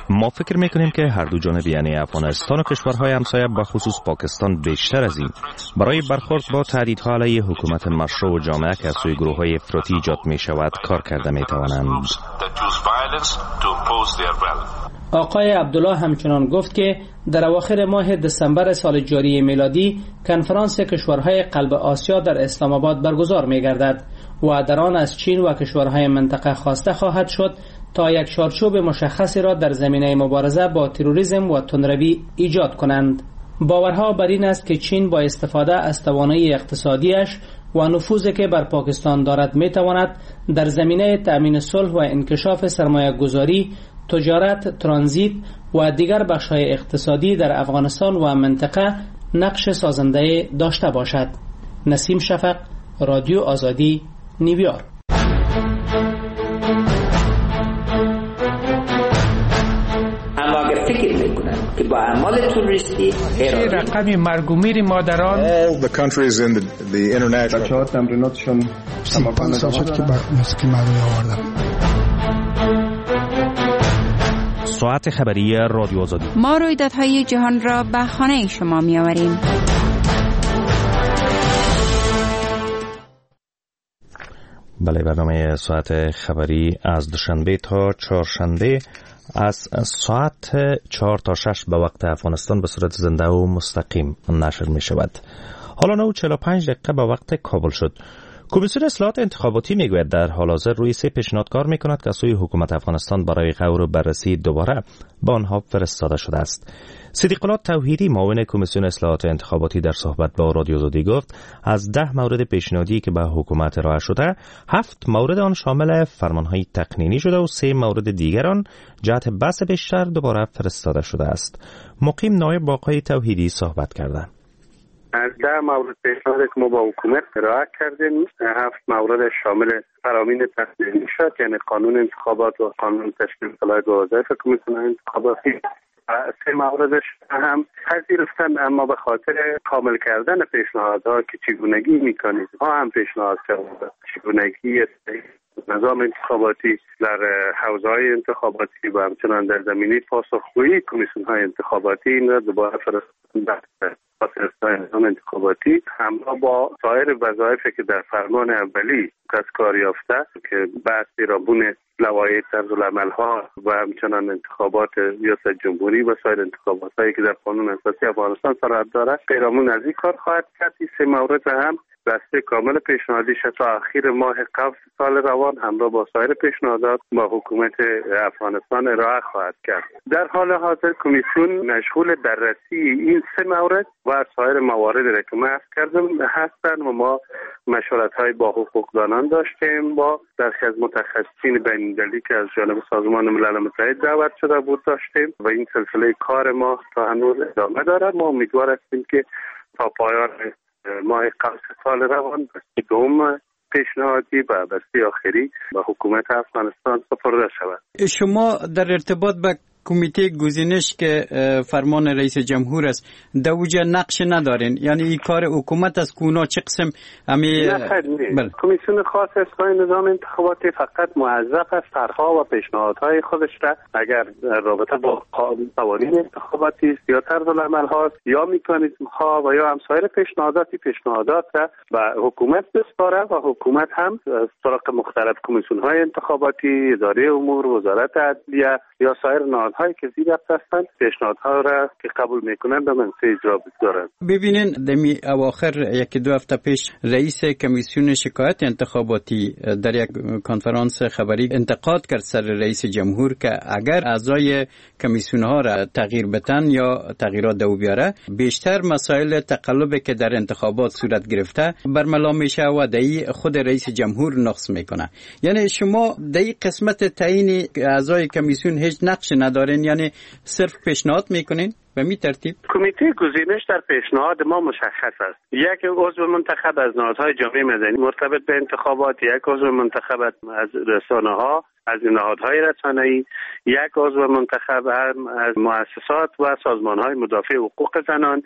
ما فکر میکنیم که هر دو جانب، یعنی افغانستان و کشورهای همسایه به خصوص پاکستان، بیشتر از این برای برخورد با تهدیدها علیه حکومت مشروع و جامعه که از سوی گروه‌های افراطی ایجاد میشود کار کرده میتوانند. آقای عبدالله همچنان گفت که در اواخر ماه دسامبر سال جاری میلادی کنفرانس کشورهای قلب آسیا در اسلام آباد برگزار می‌گردد و در آن از چین و کشورهای منطقه خواسته خواهد شد تا یک چارچوب مشخصی را در زمینه مبارزه با تروریسم و تندروی ایجاد کنند. باورها بر این است که چین با استفاده از توانایی اقتصادیش و نفوذی که بر پاکستان دارد میتواند در زمینه تأمین صلح و انکشاف سرمایه گذاری، تجارت، ترانزیت و دیگر بخش‌های اقتصادی در افغانستان و منطقه نقش سازنده داشته باشد. نسیم شفق، رادیو آزادی، نیویورک. اما اگر فکر میکنن که با اعمال تروریستی رقم مرگ و میر مادران بچه‌ها تمریناتشون سی و پنج سال شد که با موسیقی مردمی آوردم. ساعت خبری رادیو آزادی. ما رویدادهای جهان را به خانه شما می آوریم. بله، برنامه ساعت خبری از دوشنبه تا چهارشنبه از ساعت چهار تا شش به وقت افغانستان به صورت زنده و مستقیم نشر می شود. حالا نه و چهل و پنج دقیقه به وقت کابل شد. کمیسیون اصلاحات انتخاباتی میگوید در حال حاضر روی سه پیشنهاد کار میکند که از سوی حکومت افغانستان برای غور و بررسی دوباره به آنها فرستاده شده است. صدیق الله توحیدی، معاون کمیسیون اصلاحات انتخاباتی، در صحبت با رادیو آزادی گفت از ده مورد پیشنهادی که به حکومت ارائه شده، هفت مورد آن شامل فرمانهای تقنینی شده و سه مورد دیگر آن جهت بحث بیشتر دوباره فرستاده شده است. مقیم نایب با آقای توحیدی صحبت کردند. از ده مورد پیشنهاد که ما با حکومت ارائه کردیم، هفت مورد شامل فرامین تقنینی شد، یعنی قانون انتخابات و قانون تشکیل صلاحیت و وظایف کمیسیون انتخاباتی. سه موردش هم پذیرفتن، اما به خاطر کامل کردن پیشنهادها که چگونگی مکانیزم ها هم پیشنهاد شد، چگونگی نظام انتخاباتی در حوزه‌های انتخاباتی و همچنان در زمینه پاسخگویی کمیسیون‌های انتخاباتی، این را دوباره فرستادن نظام انتخاباتی همراه با سایر وظایفی که در فرمان اولی از کار یافته که بحث پیرامون لوایح طرزالعمل‌ها و همچنان انتخابات ریاست جمهوری و سایر انتخابات‌هایی که در قانون اساسی افغانستان صراحت دارد، پیرامون از این کار خواهد کرد. این سه مورد هم بسته کامل پیشنهادیش تا اخیر ماه قبل سال روان همراه با سایر پیشنهادات با حکومت افغانستان ارائه خواهد کرد. در حال حاضر کمیسیون مشغول بررسی این سه مورد و سایر موارد را که من عرض کردم هستند و ما مشورت‌های با حقوقدانان داشتیم، با برخی از متخصصین بین‌المللی که از جانب سازمان ملل متحد دعوت شده بود داشتیم و این سلسله کار ما تا هنوز ادامه دارد. ما امیدوار هستیم که تا پایان ماه قوس سال روان بسته دوم پیشنهادی و بسته آخری به حکومت افغانستان سپرده شود. شما در ارتباط با کمیته گزینش که فرمان رئیس جمهور است در اوجه نقش ندارین، یعنی این کار حکومت از کونا چه قسم امی؟ بله. کمیسیون خاص اصلاح نظام انتخاباتی فقط موظف است طرح‌ها و پیشنهادهای خودش را اگر رابطه با قوانین انتخاباتی است یا طرز العمل هاست یا مکانیزم ها و یا هم سایر پیشنهاداتی پیشنهادات را به حکومت بسپاره و حکومت هم از طرق مختلف کمیسیون های انتخاباتی، اداره امور، وزارت عدلیه یا سایر نهادهایی که زیر هستند پیشنهادها را که قبول میکنند به منصه اجرا بگذارند. ببینین دمی اواخر یکی دو هفته پیش رئیس کمیسیون شکایت انتخاباتی در یک کنفرانس خبری انتقاد کرد سر رئیس جمهور که اگر اعضای کمیسیون ها را تغییر بدن یا تغییرات دو بیاره بیشتر مسائل تقلب که در انتخابات صورت گرفته برملا میشه و دایی خود رئیس جمهور نقص میکنه. یعنی شما در قسمت تعیین اعضای کمیسیون هیچ نقش ندارین، یعنی صرف پیشنهاد میکنین به می ترتیب؟ کمیته گزینش در پیشنهاد ما مشخص است. یک عضو منتخب از نهادهای جامعه مدنی مرتبط به انتخابات، یک عضو منتخب از رسانه‌ها، از نهادهای رسانه‌ای، یک عضو منتخب هم از مؤسسات و سازمان‌های مدافع حقوق زنان،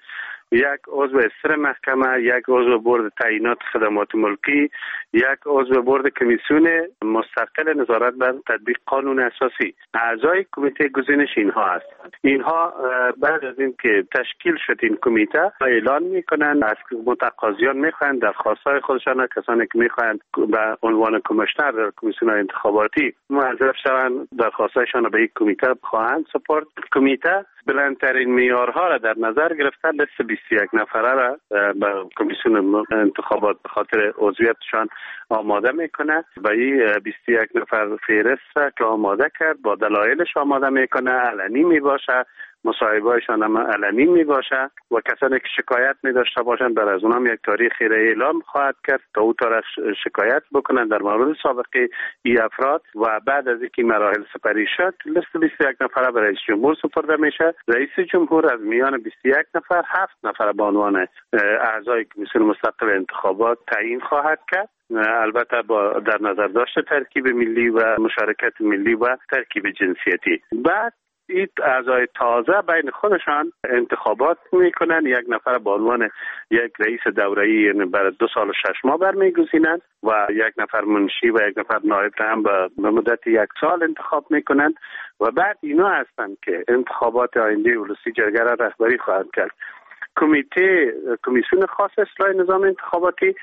یک عضو استر محکمه، یک عضو برد تعیینات خدمات ملکی، یک عضو برد کمیسیون مستقل نظارت بر تطبیق قانون اساسی. اعضای کمیته گزینش اینها هستند. اینها بعد از اینکه تشکیل شد این کمیته اعلان میکنن، از متقاضیان میخواهند درخواست‌های خودشان، کسانی که میخواهند به عنوان کمیشنر در کمیسیون انتخاباتی موظف شوند درخواست‌هایشان را به یک کمیته خواهند سپرد. کمیته بلندترین معیارها را در نظر گرفته لیست بیست و یک نفره را به کمیسیون انتخابات به خاطر عضویتشان آماده میکنه و این بیست و یک نفر فهرست را که آماده کرد با دلایلش آماده میکنه، علنی میباشه، مصاحبه‌هایشان هم علنی میباشه و کسانی که شکایت می داشته باشند بر از اونام یک تاریخی را اعلام خواهد کرد تا او تاریخ شکایت بکنند در مورد سابقه ای افراد و بعد از اینکه مراحل سپری شد لیست بیست و یک نفره به رئیس جمهور سپرده میشه. رئیس جمهور از میان بیست و یک نفر هفت نفر به عنوان اعضای کمیسیون مستقل انتخابات تعیین خواهد کرد، البته با در نظر داشت ترکیب ملی و مشارکت ملی و ترکیب جنسیتی. بعد این اعضای تازه بین خودشان انتخابات میکنن، یک نفر به عنوان یک رئیس دوره‌ای یعنی برای دو سال و شش ماه برمیگزینند و یک نفر منشی و یک نفر نایب هم به مدت یک سال انتخاب میکنن و بعد اینا هستند که انتخابات آینده ولسی جرگه را رهبری خواهند کرد. کمیته کمیسیون خاص اصلاح نظام انتخاباتی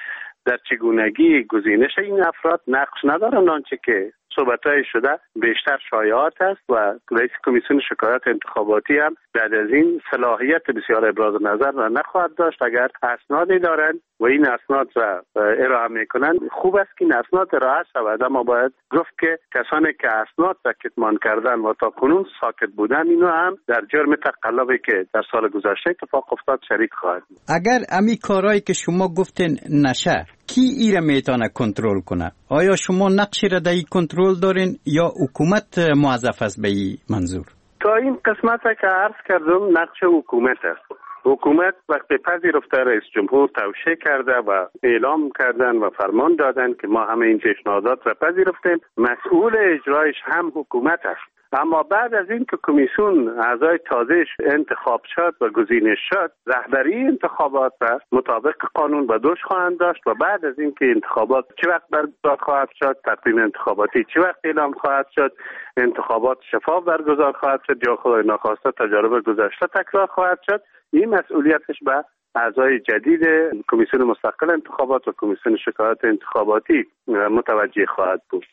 در چگونگی گزینش این افراد نقش ندارند. آنچه که صحبت‌های شده بیشتر شایعات است و رئیس کمیسیون شکایات انتخاباتی هم بعد از این صلاحیت بسیار ابراز نظر را نخواهد داشت. اگر اسنادی دارند و این اسناد را ارائه میکنند خوب است که این اسناد ارائه شود، اما باید گفت که کسانی که اسناد را کتمان کردن و تا کنون ساکت بودن اینو هم در جرم تقلبی که در سال گذشته اتفاق افتاد شریک خواهد. اگر امی کارهایی که شما گفتین نشه کی ایره میتونه کنترل کنه؟ آیا شما نقشی را در این کنترل دارین یا حکومت موظف است به این منظور؟ تا این قسمت که عرض کردم نقش حکومت است. حکومت وقتی پذیرفته رئیس جمهور توشیح کرده و اعلام کردن و فرمان دادن که ما همه این پیشنهادات را پذیرفتیم، مسئول اجرایش هم حکومت است. اما بعد از این که کمیسیون اعضای تازهش انتخاب شد و گزینش شد، رهبری انتخابات را مطابق قانون به دوش خواهند داشت و بعد از این که انتخابات چه وقت برگزار خواهد شد، تقویم انتخاباتی چه وقت اعلام خواهد شد، انتخابات شفاف برگزار خواهد شد یا خدای ناخواسته تجارب گذشته تکرار خواهد شد، این مسئولیتش به اعضای جدید کمیسیون مستقل انتخابات و کمیسیون شکایات انتخاباتی متوجه خواهد بود.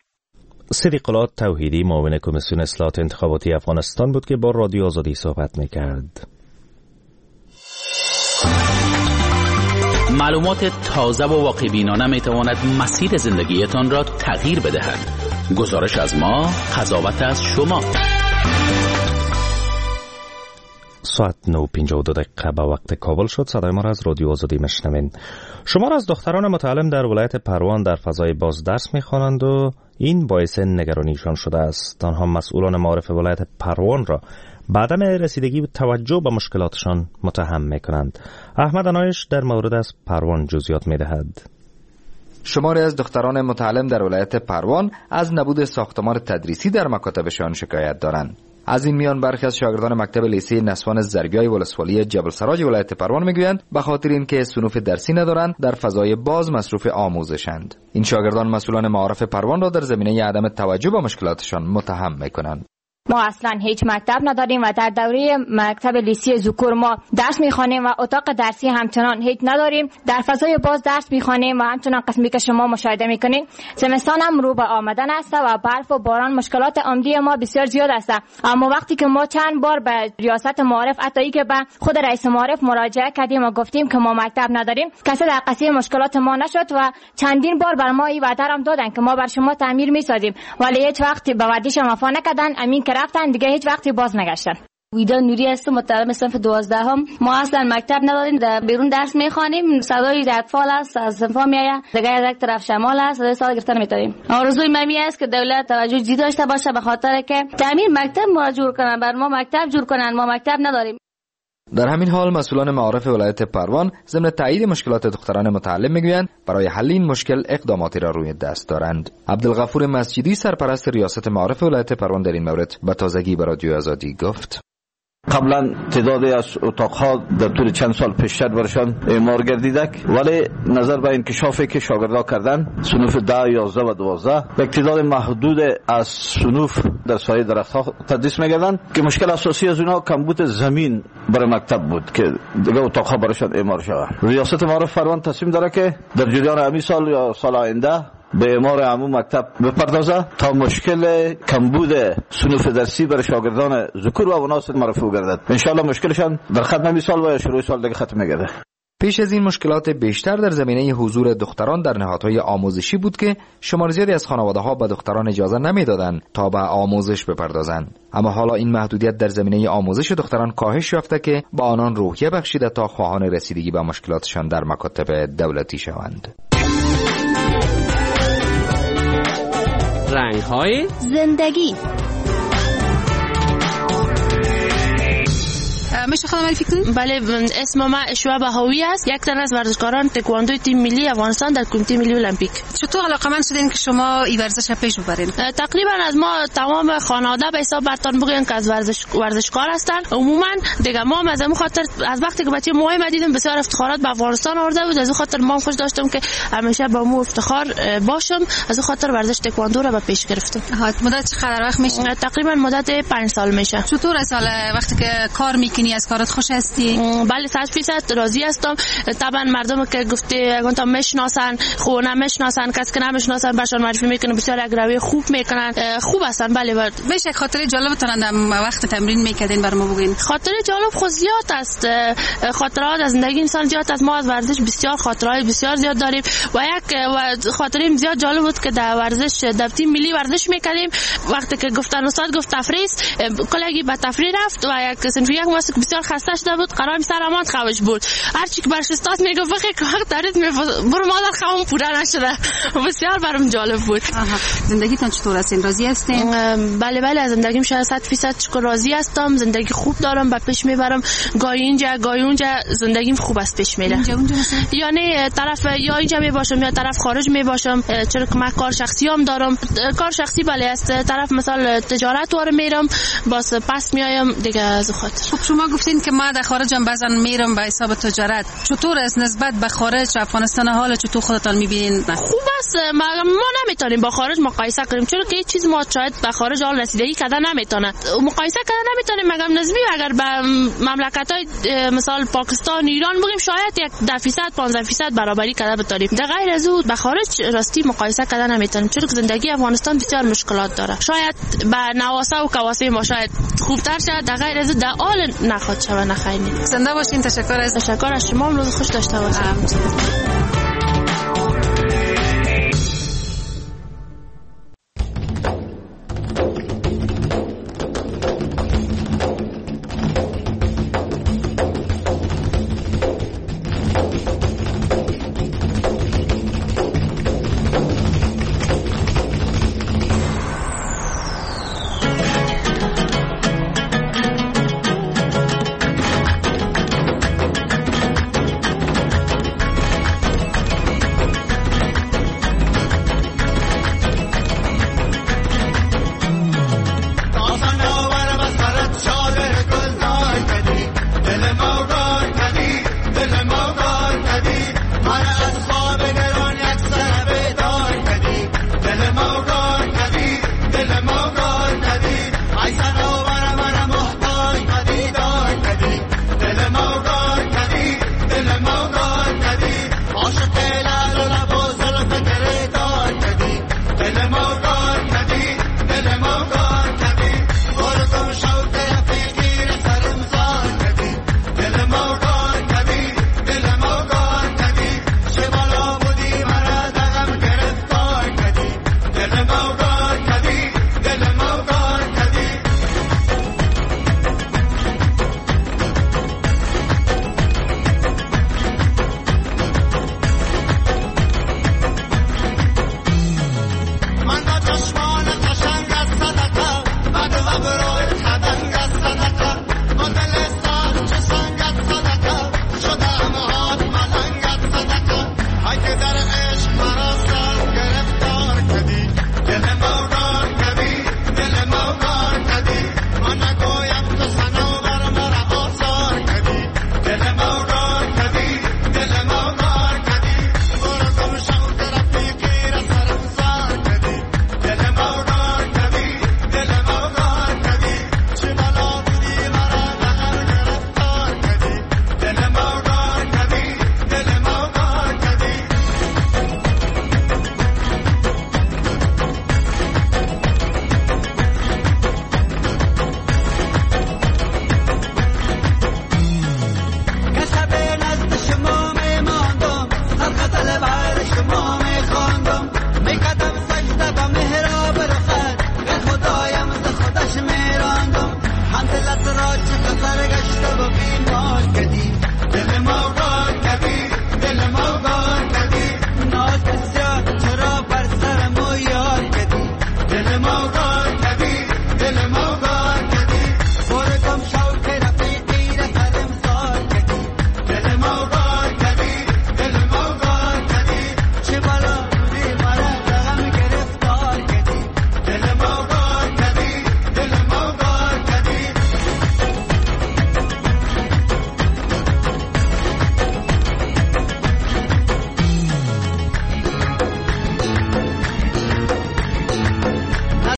صدیق الله توحیدی معاون کمیسیون اصلاحات انتخاباتی افغانستان بود که با رادیو آزادی صحبت میکرد. معلومات تازه و واقع بینانه میتواند مسیر زندگیتان را تغییر بدهد. گزارش از ما، قضاوت از شما. ساعت نه و پنجاه و دو دقیقه به وقت کابل شد. صدای ما را از رادیو آزادی میشنوین. شمار از دختران متعلم در ولایت پروان در فضای باز درس میخوانند و این باعث نگرانیشان شده است. آنها مسئولان معارف ولایت پروان را به عدم رسیدگی و توجه به مشکلاتشان متهم میکنند. احمد انایش در مورد از پروان جزئیات میدهد. شماری از دختران متعلم در ولایت پروان از نبود ساختمان تدریسی در مکاتبشان شکایت دارند. از این میان برخی از شاگردان مکتب لیسه نسوان زربیای ولسوالی جبل سراج ولایت پروان میگویند به خاطر اینکه صنوف درسی ندارند در فضای باز مصروف آموزشند. این شاگردان مسئولان معارف پروان را در زمینه عدم توجه به مشکلاتشان متهم میکنند. ما اصلا هیچ مکتب نداریم و در دوره مکتب لیسی ذکور ما درس میخوانیم و اتاق درسی همچنان هیچ نداریم. در فضای باز درس میخوانیم و همچنان قسمی که شما مشاهده میکنین زمستان هم رو به آمدن است و برف و باران مشکلات عمدی ما بسیار زیاد است. اما وقتی که ما چند بار به ریاست معارف حتی که به خود رئیس معارف مراجعه کردیم و گفتیم که ما مکتب نداریم، کسی در قضیه مشکلات ما نشد و چندین بار بر ما این وعده هم دادن که ما بر شما تعمیر میسازیم، ولی هیچ وقت به وعده‌شان وفا نکردن. امین که رفتن دیگه هیچ وقتی باز نگشتن. ویدا نوری هستم، متعلم صنف دوازده هم. ما اصلا مکتب نداریم، در بیرون درس میخوانیم. صدای اطفال است از صنف‌ها میآید، دیگه از یک طرف شمال است، صدای سال گرفتن میتونیم. آرزوی من این است که دولت توجه جدی داشته باشه به خاطر که تعمیر مکتب ما جور کنن، بر ما مکتب جور کنن، ما مکتب نداریم. در همین حال مسئولان معارف ولایت پروان ضمن تایید مشکلات دختران متعلم میگویند برای حل این مشکل اقداماتی را روی دست دارند. عبدالغفور مسجدی سرپرست ریاست معارف ولایت پروان در این مورد به تازگی به رادیو آزادی گفت: قبلا تعدادی از اتاقها در طول چند سال پیشتر برشان اعمار گردیده، ولی نظر به انکشافی که شاگردا کردن صنوف ده، یازده و دوازده یک تعداد محدود از صنوف در سایه درختها تدریس می‌گردند که مشکل اساسی از اونها کمبود زمین برای مکتب بود که دیگه اتاقها برشان اعمار شود. ریاست معارف پروان تصمیم داره که در جریان همین سال یا سال آینده به اعمار عموم مکتب بپردازه تا مشکل کمبود صنوف درسی برای شاگردان ذکور و اناث مرفوع گردد. انشالله مشکلشان در ختم این سال و یا شروع سال دیگه ختم می‌گرده. پیش از این مشکلات بیشتر در زمینه حضور دختران در نهادهای آموزشی بود که شمار زیادی از خانواده‌ها به دختران اجازه نمیدادند تا به آموزش بپردازند. اما حالا این محدودیت در زمینه آموزش دختران کاهش یافته که به آنان روحیه بخشیده تا خواهان رسیدگی به مشکلاتشان در مکاتب دولتی شوند. رنگ‌های زندگی. میشه خودم معرفی کنید؟ بله، اسم ما اشوا بهاوی است، یک تن از ورزشکاران تکواندو تیم ملی افغانستان در کمیته ملی المپیک. چطور علاقه‌مند شدین که شما این ورزش را پیش ببرین؟ تقریبا از ما تمام خانواده به حساب برتان بگین که از ورزش ورزشکار هستند. عموما دیگه ما از اون خاطر از وقتی که بچه موهای دیدم بسیار افتخارات به افغانستان آورده بود، از اون خاطر ما خوش داشتم که همیشه با مو افتخار باشم، از اون خاطر ورزش تکواندو را به پیش گرفتم. مدت چقدر وقت میشه؟ تقریبا مدت پنج سال میشه. چطور از وقتی که کار میکنی از کارت خوش هستی؟ بله، صد فیصد راضی هستم. طبعا مردم که گفته اگه تا میشناسن، خو نمیشناسن، کس که نمیشناسن برشان معرفی میکنن، بسیار اگروی خوب میکنن، خوب هستن. بله. میشه خاطره جالبتون در وقت تمرین میکردین بر ما بگین؟ خاطره جالب خو زیاد است، خاطرات از زندگی انسان زیاد است. ما از ورزش بسیار خاطرهای بسیار زیاد داریم و یک و خاطریم زیاد جالب بود که در ورزش در تیم ملی ورزش میکردیم. وقتی که گفتن استاد گفت تفریح، کلگی به تفریح رفت و یک صنف یک ماست که بسیار خسته شده بود، قرار سر امان خوش بود. هرچی که برش استاد میگفت بخی که وقت دارید برو مادر خوام پوره نشده. بسیار برام جالب بود. زندگیتون چطور هستین؟ راضی هستین؟ بله بله، از زندگیم شاید صد فیصد شکر راضی هستم. زندگی خوب دارم، به پیش میبرم، گاهی اینجا گاهی اونجا، زندگیم خوب است پیش میره. اینجا اونجا مثلا؟ یعنی طرف یا اینجا میباشم یا طرف خارج میباشم، چرا که من کار شخصی هم دارم. کار شخصی بله است، طرف مثال تجارت وار میرم، باز پس میایم دیگه از خاطر. خب شما گفتین که ما در خارج هم بعضا میرم به حساب تجارت، چطور است نسبت به خارج افغانستان حال چطور خودتان میبینین؟ خوب است، ما ما نمیتونیم با خارج مقایسه کنیم، چون که چیز ما شاید به خارج حال رسیدگی کردن نمیتونه، مقایسه کردن نمیتونیم. مگم نسبی اگر به مملکت های مثال پاکستان ایران بگیم شاید یک ده فیصد پانزده فیصد برابری کرده بتونیم، در غیر از او به خارج راستی مقایسه کردن نمیتونیم، چون که زندگی افغانستان بسیار مشکلات داره. شاید به نواسه و کواسه ما شاید خوبتر شد، در غیر از در حال نخواد شود نخیلی. زنده باشین. تشکر از تشکر از شما، روز خوش داشته باشین. آقا.